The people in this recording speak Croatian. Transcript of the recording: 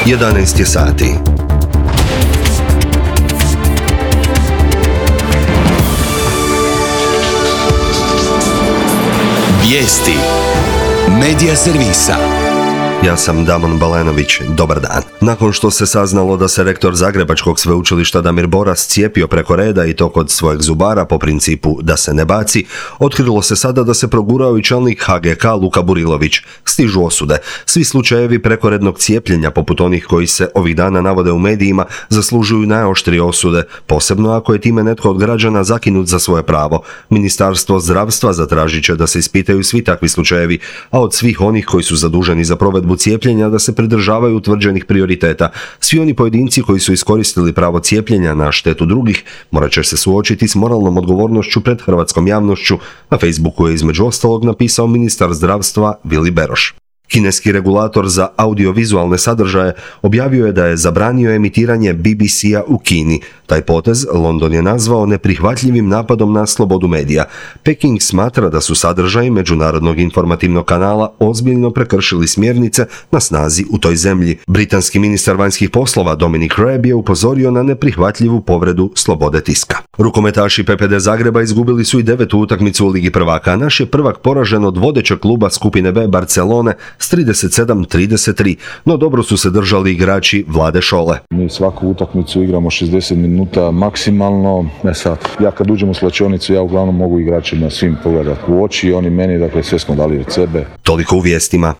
11 je sati. Vijesti Medija servisa. Ja sam Damon Balenović, dobar dan. Nakon što se saznalo da se rektor Zagrebačkog sveučilišta Damir Boras cijepio preko reda i to kod svojeg zubara po principu da se ne baci, otkrilo se sada da se progurao i čelnik HGK Luka Burilović. Stižu osude. Svi slučajevi prekorednog cijepljenja, poput onih koji se ovih dana navode u medijima, zaslužuju najoštrije osude, posebno ako je time netko od građana zakinut za svoje pravo. Ministarstvo zdravstva zatražit će da se ispitaju svi takvi slučajevi, a od svih onih koji su zaduženi za provedbu cijepljenja da se pridržavaju utvrđenih prioriteta. Svi oni pojedinci koji su iskoristili pravo cijepljenja na štetu drugih morat će se suočiti s moralnom odgovornošću pred hrvatskom javnošću. Na Facebooku je između ostalog napisao ministar zdravstva Vili Beroš. Kineski regulator za audiovizualne sadržaje objavio je da je zabranio emitiranje BBC-a u Kini. Taj potez London je nazvao neprihvatljivim napadom na slobodu medija. Peking smatra da su sadržaji međunarodnog informativnog kanala ozbiljno prekršili smjernice na snazi u toj zemlji. Britanski ministar vanjskih poslova Dominic Raab je upozorio na neprihvatljivu povredu slobode tiska. Rukometaši PPD Zagreba izgubili su i 9. utakmicu u Ligi prvaka. Naš je prvak poražen od vodećeg kluba skupine B Barcelone s 37-33, no dobro su se držali igrači Vlade Šole. Mi svaku utakmicu igramo 60 minuta maksimalno. Ja kad uđem u slačionicu, ja uglavnom mogu igračima svim pogledati u oči, oni meni, dakle sve smo dali od sebe. Toliko u vijestima.